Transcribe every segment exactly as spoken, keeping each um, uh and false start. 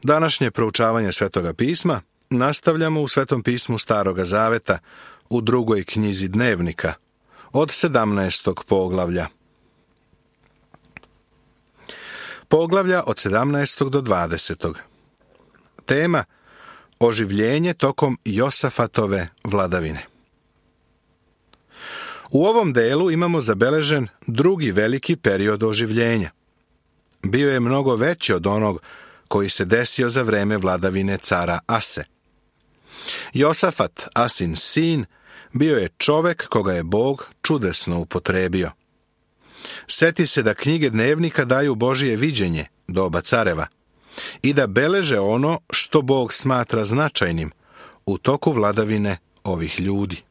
Današnje proučavanje Svetoga pisma nastavljamo u Svetom pismu Staroga zaveta u drugoj knjizi Dnevnika od sedamnaestog poglavlja. Poglavlja od sedamnaestog do dvadesetog. Tema: oživljenje tokom Josafatove vladavine. U ovom delu imamo zabeležen drugi veliki period oživljenja. Bio je mnogo veći od onog koji se desio za vreme vladavine cara Ase. Josafat, Asin sin, bio je čovek koga je Bog čudesno upotrebio. Seti se da knjige Dnevnika daju Božije viđenje, doba careva, i da beleže ono što Bog smatra značajnim u toku vladavine ovih ljudi.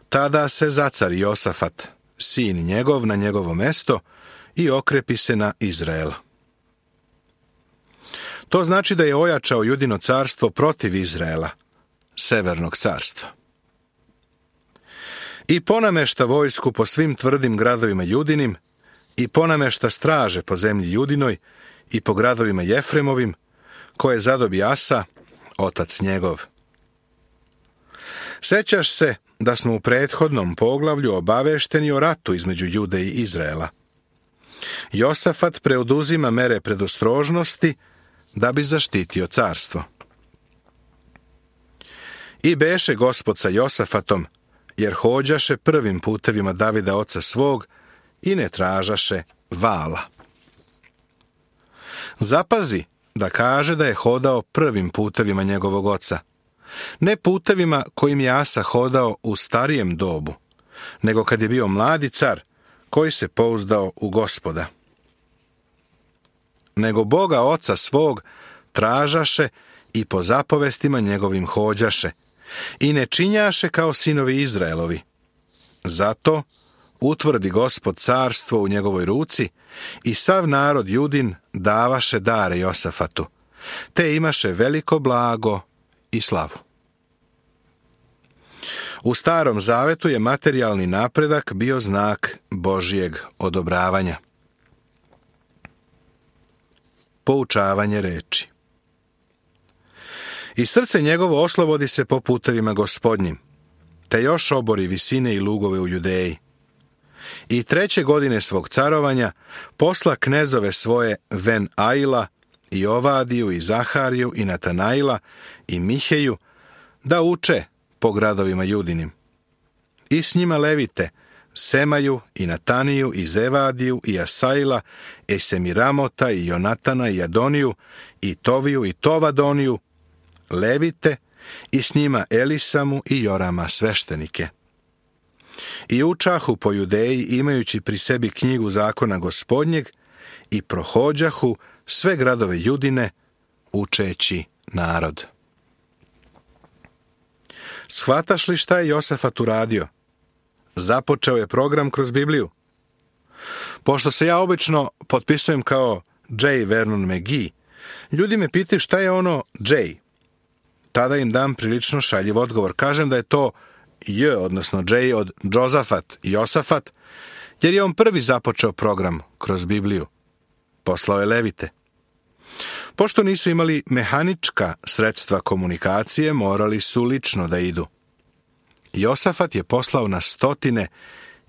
Tada se zacari Josafat, sin njegov, na njegovo mesto i okrepi se na Izrael. To znači da je ojačao Judino carstvo protiv Izraela, severnog carstva. I ponamešta vojsku po svim tvrdim gradovima Judinim, i ponamešta straže po zemlji Judinoj i po gradovima Jefremovim, koje zadobi Asa, otac njegov. Sećaš se da smo u prethodnom poglavlju obavešteni o ratu između Jude i Izraela. Josafat preoduzima mere predostrožnosti da bi zaštitio carstvo. I beše Gospod sa Josafatom, jer hođaše prvim putevima Davida oca svog i ne tražaše vala. Zapazi da kaže da je hodao prvim putevima njegovog oca, ne putevima kojim je Asa hodao u starijem dobu, nego kad je bio mladi car koji se pouzdao u Gospoda. Nego Boga oca svog tražaše i po zapovestima njegovim hođaše i ne činjaše kao sinovi Izraelovi. Zato utvrdi Gospod carstvo u njegovoj ruci i sav narod Judin davaše dare Josafatu, te imaše veliko blago i slavu. U Starom zavetu je materijalni napredak bio znak Božijeg odobravanja. Poučavanje reči. I srce njegovo oslobodi se po putevima Gospodnjim, te još obori visine i lugove u Judeji. I treće godine svog carovanja posla knezove svoje Ven Aila, i Ovadiju, i Zahariju, i Natanaila, i Miheju, da uče po gradovima Judinim. I s njima levite, Semaju, i Nataniju, i Zevadiju, i Asaila, i Semiramota, i Jonatana, i Adoniju, i Toviju, i Tovadoniju, levite, i s njima Elisamu i Jorama sveštenike. I učahu po Judeji, imajući pri sebi knjigu zakona Gospodnjeg, i prohođahu sve gradove Judine, učeći narod. Shvataš li šta je Josafat uradio? Započeo je program kroz Bibliju. Pošto se ja obično potpisujem kao J. Vernon McGee, ljudi me pitaju šta je ono J. Tada im dam prilično šaljiv odgovor. Kažem da je to J, odnosno J od Josafat i Josafat, jer je on prvi započeo program kroz Bibliju. Poslao je levite. Pošto nisu imali mehanička sredstva komunikacije, morali su lično da idu. Josafat je poslao na stotine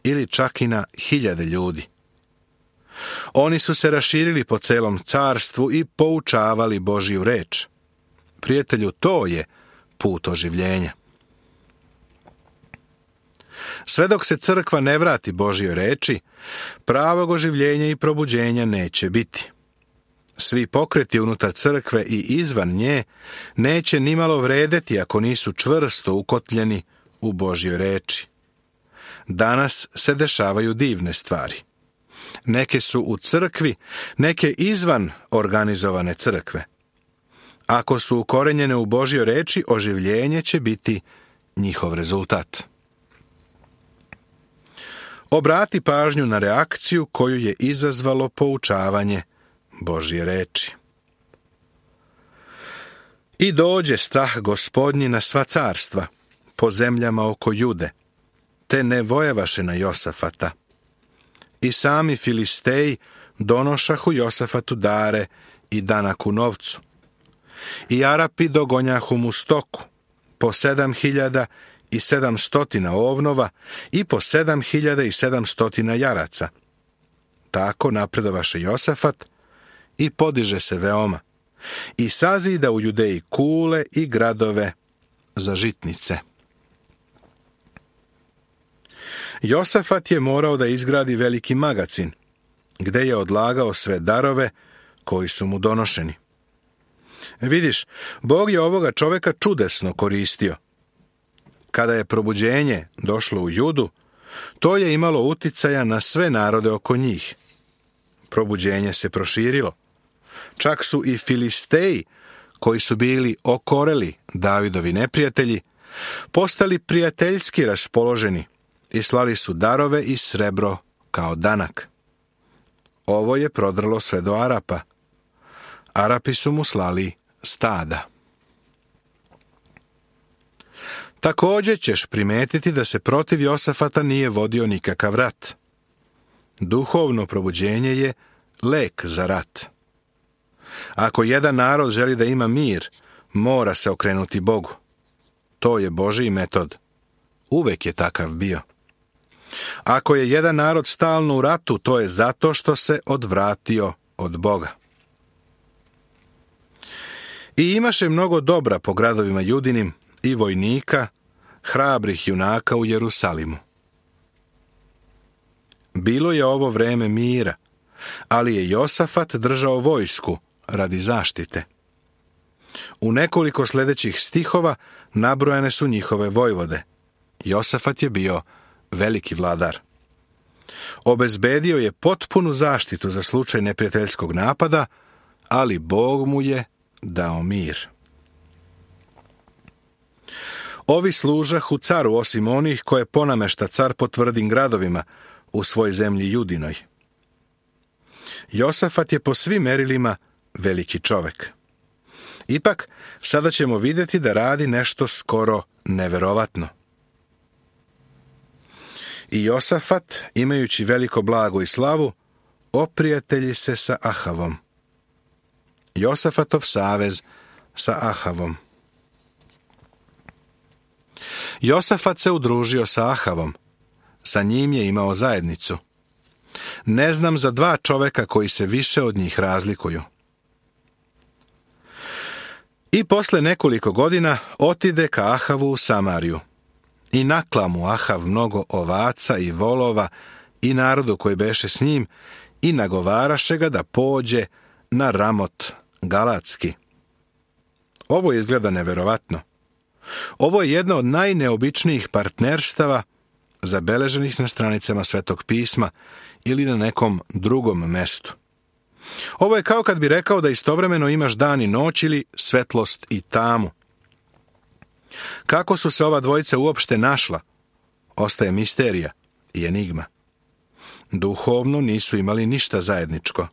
ili čak i na hiljade ljudi. Oni su se raširili po celom carstvu i poučavali Božiju reč. Prijatelju, to je put oživljenja. Sve dok se crkva ne vrati Božjoj reči, pravog oživljenja i probuđenja neće biti. Svi pokreti unutar crkve i izvan nje neće nimalo vredeti ako nisu čvrsto ukotljeni u Božjoj reči. Danas se dešavaju divne stvari. Neke su u crkvi, neke izvan organizovane crkve. Ako su ukorenjene u Božjoj reči, oživljenje će biti njihov rezultat. Obrati pažnju na reakciju koju je izazvalo poučavanje Božje reči. I dođe strah Gospodnji na sva carstva, po zemljama oko Jude, te ne vojevaše na Josafata. I sami Filisteji donošahu Josafatu dare i danak u novcu. I Arapi dogonjahu mu stoku, po sedam hiljada i sedam stotina ovnova i po sedam hiljada i sedam stotina jaraca. Tako napredovaše Josafat i podiže se veoma, i sazida u Judeji kule i gradove za žitnice. Josafat je morao da izgradi veliki magacin, gde je odlagao sve darove koji su mu donošeni. Vidiš, Bog je ovoga čoveka čudesno koristio. Kada je probuđenje došlo u Judu, to je imalo uticaja na sve narode oko njih. Probuđenje se proširilo. Čak su i Filisteji, koji su bili okoreli Davidovi neprijatelji, postali prijateljski raspoloženi i slali su darove i srebro kao danak. Ovo je prodrlo sve do Arapa. Arapi su mu slali stada. Također ćeš primetiti da se protiv Josafata nije vodio nikakav rat. Duhovno probuđenje je lek za rat. Ako jedan narod želi da ima mir, mora se okrenuti Bogu. To je Božji metod. Uvek je takav bio. Ako je jedan narod stalno u ratu, to je zato što se odvratio od Boga. I imaše mnogo dobra po gradovima Judinim i vojnika, hrabrih junaka u Jerusalimu. Bilo je ovo vreme mira, ali je Josafat držao vojsku radi zaštite. U nekoliko sljedećih stihova nabrojane su njihove vojvode. Josafat je bio veliki vladar. Obezbedio je potpunu zaštitu za slučaj neprijateljskog napada, ali Bog mu je dao mir. Ovi služahu caru osim onih koje ponamešta car po tvrdim gradovima u svoj zemlji Judinoj. Josafat je po svim merilima veliki čovek. Ipak, sada ćemo vidjeti da radi nešto skoro neverovatno. I Josafat, imajući veliko blago i slavu, oprijatelji se sa Ahavom. Josafatov savez sa Ahavom. Josafat se udružio sa Ahavom. Sa njim je imao zajednicu. Ne znam za dva čoveka koji se više od njih razlikuju. I posle nekoliko godina otide ka Ahavu u Samariju. I nakla mu Ahav mnogo ovaca i volova i narodu koji beše s njim i nagovaraše ga da pođe na Ramot Galatski. Ovo izgleda neverovatno. Ovo je jedna od najneobičnijih partnerstava zabeleženih na stranicama Svetog pisma ili na nekom drugom mestu. Ovo je kao kad bi rekao da istovremeno imaš dan i noć ili svetlost i tamu. Kako su se ova dvojica uopšte našla, ostaje misterija i enigma. Duhovno nisu imali ništa zajedničko.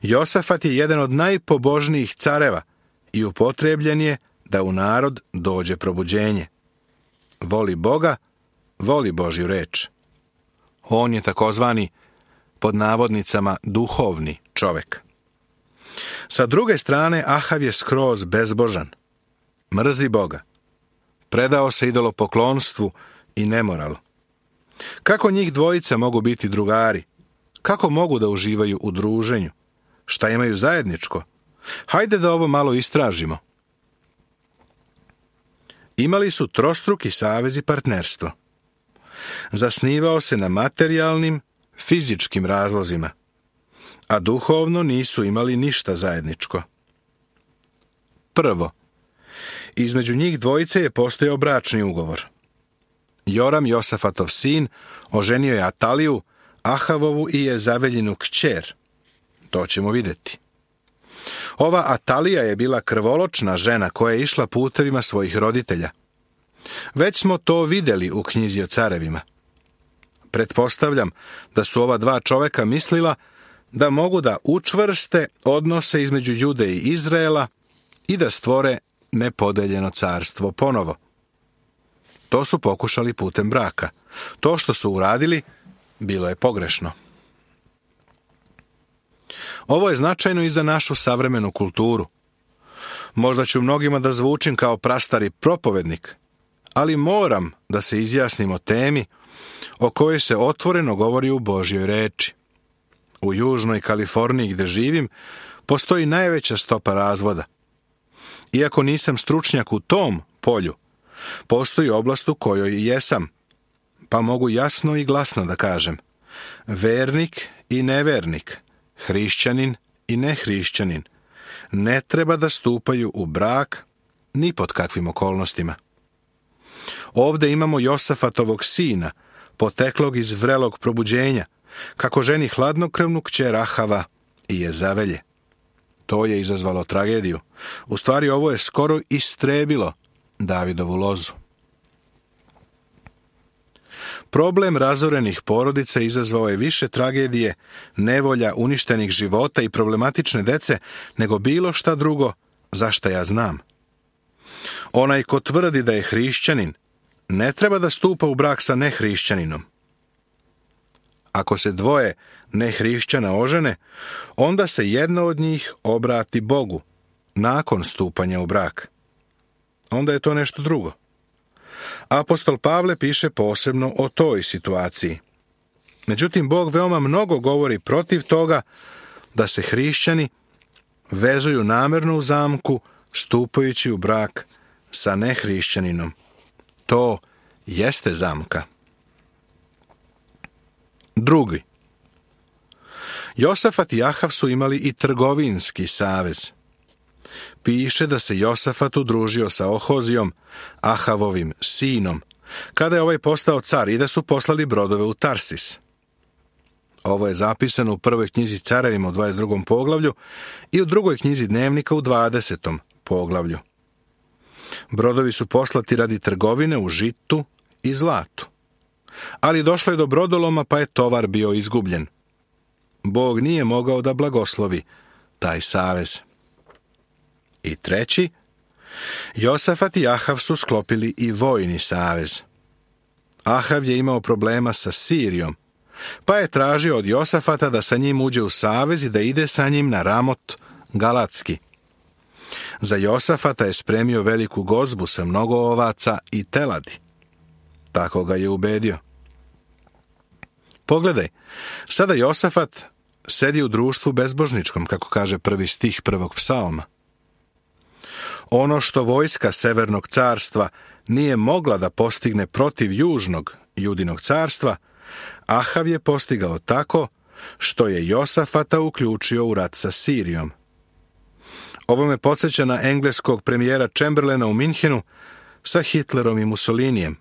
Josafat je jedan od najpobožnijih careva i upotrebljen je da u narod dođe probuđenje. Voli Boga, voli Božju reč. On je takozvani, pod navodnicama, duhovni čovek. Sa druge strane, Ahav je skroz bezbožan. Mrzi Boga. Predao se idolopoklonstvu i nemoralu. Kako njih dvojica mogu biti drugari? Kako mogu da uživaju u druženju? Šta imaju zajedničko? Hajde da ovo malo istražimo. Imali su trostruki savez i partnerstvo. Zasnivao se na materijalnim, fizičkim razlozima, a duhovno nisu imali ništa zajedničko. Prvo, između njih dvojice je postojao bračni ugovor. Joram, Josafatov sin, oženio je Ataliju, Ahavovu i Jezaveljinu kćer. To ćemo vidjeti. Ova Atalija je bila krvoločna žena koja je išla putevima svojih roditelja. Već smo to vidjeli u knjizi o carevima. Pretpostavljam da su ova dva čoveka mislila da mogu da učvrste odnose između Jude i Izraela i da stvore nepodeljeno carstvo ponovo. To su pokušali putem braka. To što su uradili bilo je pogrešno. Ovo je značajno i za našu savremenu kulturu. Možda ću mnogima da zvučim kao prastari propovednik, ali moram da se izjasnim o temi o kojoj se otvoreno govori u Božjoj reči. U Južnoj Kaliforniji gdje živim, postoji najveća stopa razvoda. Iako nisam stručnjak u tom polju, postoji oblast u kojoj jesam, pa mogu jasno i glasno da kažem: vernik i nevernik, hrišćanin i nehrišćanin ne treba da stupaju u brak ni pod kakvim okolnostima. Ovdje imamo Josafatovog sina, poteklog iz vrelog probuđenja, kako ženi hladnokrvnu kćer Ahava i Jezavelje. To je izazvalo tragediju. U stvari, ovo je skoro istrebilo Davidovu lozu. Problem razorenih porodica izazvao je više tragedije, nevolja, uništenih života i problematične dece nego bilo šta drugo za šta ja znam. Onaj ko tvrdi da je hrišćanin ne treba da stupa u brak sa nehrišćaninom. Ako se dvoje nehrišćana ožene, onda se jedna od njih obrati Bogu nakon stupanja u brak. Onda je to nešto drugo. Apostol Pavle piše posebno o toj situaciji. Međutim, Bog veoma mnogo govori protiv toga da se hrišćani vezuju namerno u zamku stupajući u brak sa nehrišćaninom. To jeste zamka. Drugi. Josafat i Ahav su imali i trgovinski savez. Piše da se Josafat udružio sa Ohozijom, Ahavovim sinom, kada je ovaj postao car i da su poslali brodove u Tarsis. Ovo je zapisano u prvoj knjizi Carevima u dvadeset drugom poglavlju i u drugoj knjizi Dnevnika u dvadesetom poglavlju. Brodovi su poslati radi trgovine u žitu i zlatu. Ali došlo je do brodoloma, pa je tovar bio izgubljen. Bog nije mogao da blagoslovi taj savez. I treći, Josafat i Ahav su sklopili i vojni savez. Ahav je imao problema sa Sirijom, pa je tražio od Josafata da sa njim uđe u savez i da ide sa njim na Ramot Galatski. Za Josafata je spremio veliku gozbu sa mnogo ovaca i teladi. Tako ga je ubedio. Pogledaj, sada Josafat sedi u društvu bezbožničkom, kako kaže prvi stih prvog psalma. Ono što vojska Severnog carstva nije mogla da postigne protiv Južnog Judinog carstva, Ahav je postigao tako što je Josafata uključio u rat sa Sirijom. Ovo me podsjeća na engleskog premijera Chamberlaina u Minhenu sa Hitlerom i Mussolinijem.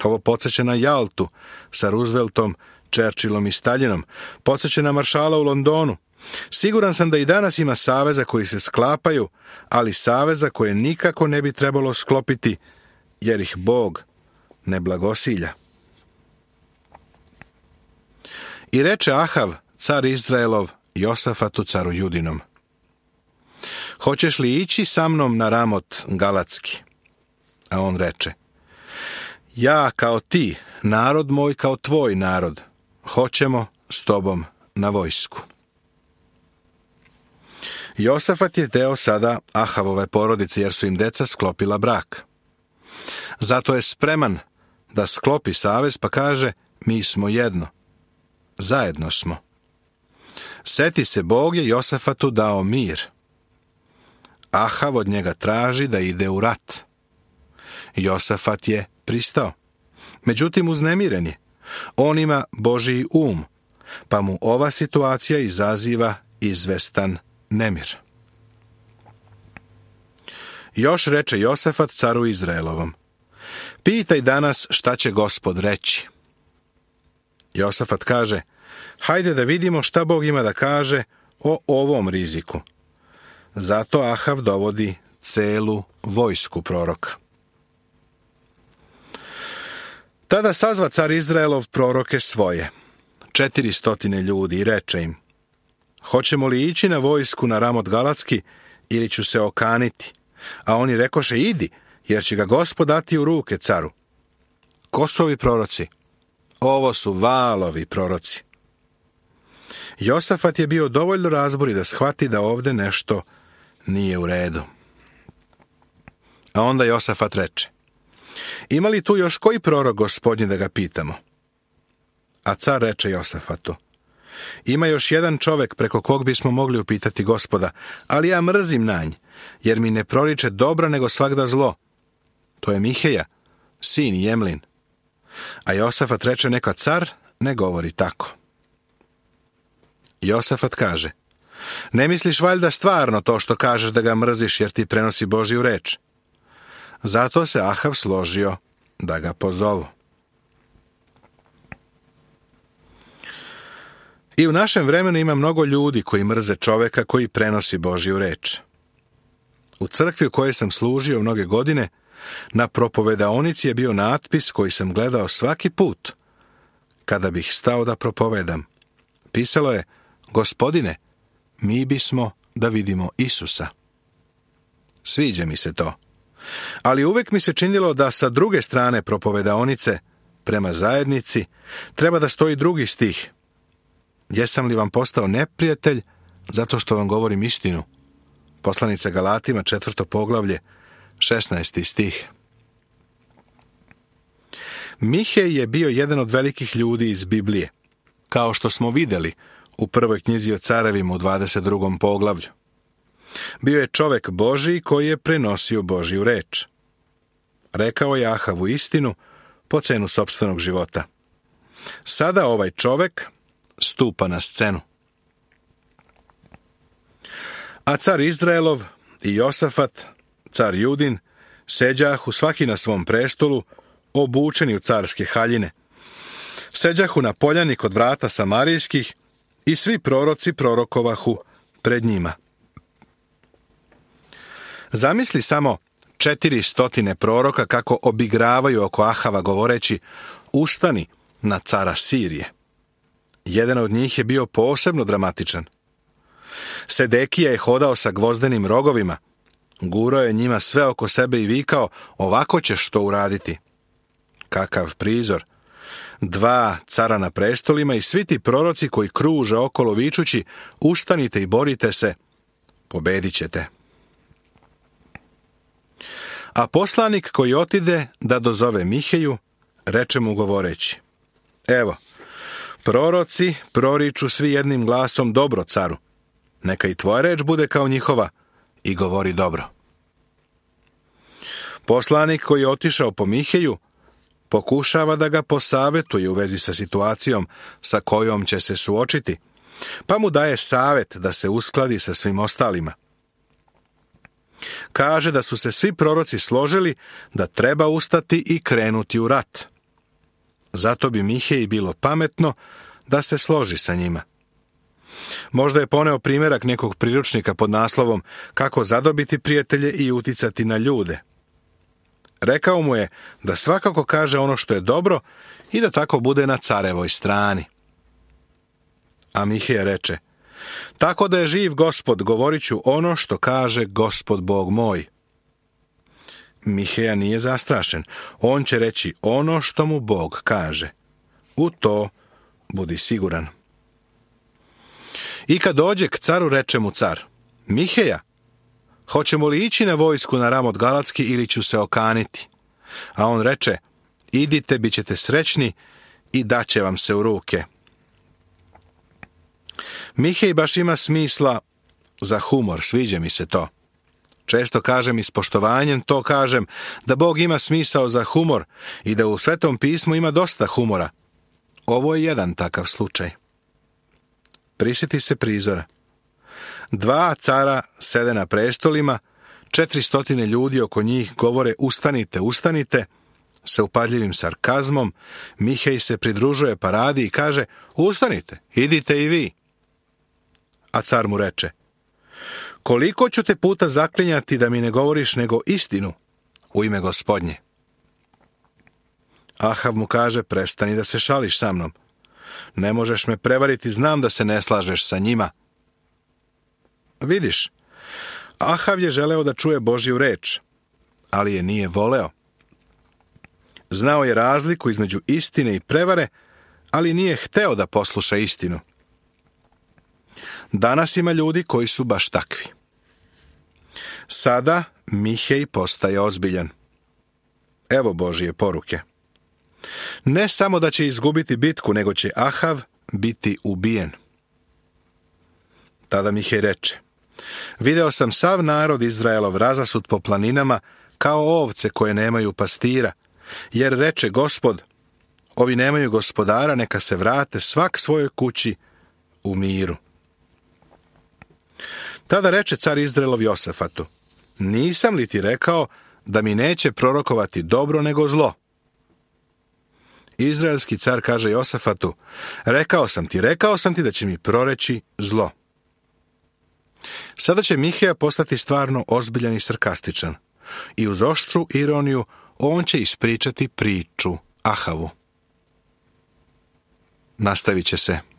Ovo podsjeća na Jaltu sa Rooseveltom, Churchillom i Staljinom. Podsjeća na maršala u Londonu. Siguran sam da i danas ima saveza koji se sklapaju, ali saveza koje nikako ne bi trebalo sklopiti, jer ih Bog ne blagosilja. I reče Ahav, car Izraelov, Josafatu, caru Judinom: hoćeš li ići sa mnom na Ramot Galatski? A on reče: ja kao ti, narod moj kao tvoj narod, hoćemo s tobom na vojsku. Josafat je deo sada Ahavove porodice, jer su im deca sklopila brak. Zato je spreman da sklopi savez, pa kaže: mi smo jedno. Zajedno smo. Seti se, Bog je Josafatu dao mir. Ahav od njega traži da ide u rat. Josafat je pristao. Međutim, uznemiren je. On ima Božji um, pa mu ova situacija izaziva izvestan nemir. Još reče Josafat caru Izraelovom: pitaj danas šta će Gospod reći. Josafat kaže: hajde da vidimo šta Bog ima da kaže o ovom riziku. Zato Ahav dovodi celu vojsku proroka. Tada sazva car Izraelov proroke svoje, četiri stotine ljudi, i reče im: hoćemo li ići na vojsku na Ramot Galatski ili ću se okaniti? A oni rekoše: idi, jer će ga Gospod dati u ruke caru. Ko su ovi proroci? Ovo su Vaalovi proroci. Josafat je bio dovoljno razborit da shvati da ovde nešto nije u redu. A onda Josafat reče: ima li tu još koji prorok Gospodnji da ga pitamo? A car reče Josafatu: ima još jedan čovek preko kog bismo mogli upitati Gospoda, ali ja mrzim na nj, jer mi ne proriče dobra nego svagda zlo. To je Miheja, sin Jemlin. A Josafat reče: neka car ne govori tako. Josafat kaže: ne misliš valjda stvarno to što kažeš da ga mrziš jer ti prenosi Božju reč? Zato se Ahav složio da ga pozovu. I u našem vremenu ima mnogo ljudi koji mrze čoveka koji prenosi Božju reč. U crkvi u kojoj sam služio mnoge godine, na propovedaonici je bio natpis koji sam gledao svaki put kada bih stao da propovedam. Pisalo je: Gospodine, mi bismo da vidimo Isusa. Sviđa mi se to. Ali uvek mi se činilo da sa druge strane propovedaonice, prema zajednici, treba da stoji drugi stih: jesam li vam postao neprijatelj zato što vam govorim istinu? Poslanica Galatima, četvrto poglavlje, šesnaesti stih. Mihej je bio jedan od velikih ljudi iz Biblije, kao što smo videli u prvoj knjizi o carevima u dvadeset drugom poglavlju. Bio je čovek Božiji koji je prenosio Božju reč. Rekao je Ahavu istinu po cenu sopstvenog života. Sada ovaj čovek stupa na scenu. A car Izraelov i Josafat, car Judin, seđahu svaki na svom prestolu, obučeni u carske haljine. Seđahu na poljani kod vrata samarijskih i svi proroci prorokovahu pred njima. Zamisli samo četiri stotine proroka kako obigravaju oko Ahava govoreći: ustani na cara Sirije. Jedan od njih je bio posebno dramatičan. Sedekija je hodao sa gvozdenim rogovima, gurao je njima sve oko sebe i vikao: ovako ćeš to uraditi. Kakav prizor! Dva cara na prestolima i svi ti proroci koji kruže okolo vičući: ustanite i borite se, pobedit ćete. A poslanik koji otide da dozove Miheju, reče mu govoreći: evo, proroci proriču svi jednim glasom dobro caru. Neka i tvoja reč bude kao njihova i govori dobro. Poslanik koji je otišao po Miheju pokušava da ga posavetuje u vezi sa situacijom sa kojom će se suočiti, pa mu daje savet da se uskladi sa svim ostalima. Kaže da su se svi proroci složili da treba ustati i krenuti u rat. Zato bi Miheji bilo pametno da se složi sa njima. Možda je poneo primjerak nekog priručnika pod naslovom Kako zadobiti prijatelje i uticati na ljude. Rekao mu je da svakako kaže ono što je dobro i da tako bude na carevoj strani. A Miheja reče: tako da je živ Gospod, govorit ću ono što kaže Gospod Bog moj. Miheja nije zastrašen. On će reći ono što mu Bog kaže. U to budi siguran. I kad dođe k caru, reče mu car: Miheja, hoćemo li ići na vojsku na Ramot Galatski ili ću se okaniti? A on reče: idite, bit ćete srećni i daće vam se u ruke. Mihej baš ima smisla za humor, sviđa mi se to. Često kažem i s poštovanjem to kažem, da Bog ima smisao za humor i da u Svetom pismu ima dosta humora. Ovo je jedan takav slučaj. Prisjeti se prizora. Dva cara sede na prestolima, četiri stotine ljudi oko njih govore: ustanite, ustanite. Sa upadljivim sarkazmom Mihej se pridružuje paradi i kaže: ustanite, idite i vi. A car mu reče: koliko ću te puta zaklinjati da mi ne govoriš nego istinu u ime Gospodnje? Ahav mu kaže: prestani da se šališ sa mnom. Ne možeš me prevariti, znam da se ne slažeš sa njima. Vidiš, Ahav je želeo da čuje Božju reč, ali je nije voleo. Znao je razliku između istine i prevare, ali nije hteo da posluša istinu. Danas ima ljudi koji su baš takvi. Sada Mihej postaje ozbiljan. Evo Božije poruke. Ne samo da će izgubiti bitku, nego će Ahav biti ubijen. Tada Mihej reče: Video sam sav narod Izraelov razasut po planinama kao ovce koje nemaju pastira, jer reče Gospod, ovi nemaju gospodara, neka se vrate svak svojoj kući u miru. Tada reče car Izraelov Josafatu: Nisam li ti rekao da mi neće prorokovati dobro nego zlo? Izraelski car kaže Josafatu: Rekao sam ti, rekao sam ti da će mi proreći zlo. Sada će Miheja postati stvarno ozbiljan i sarkastičan. I uz oštru ironiju on će ispričati priču Ahavu. Nastavit će se.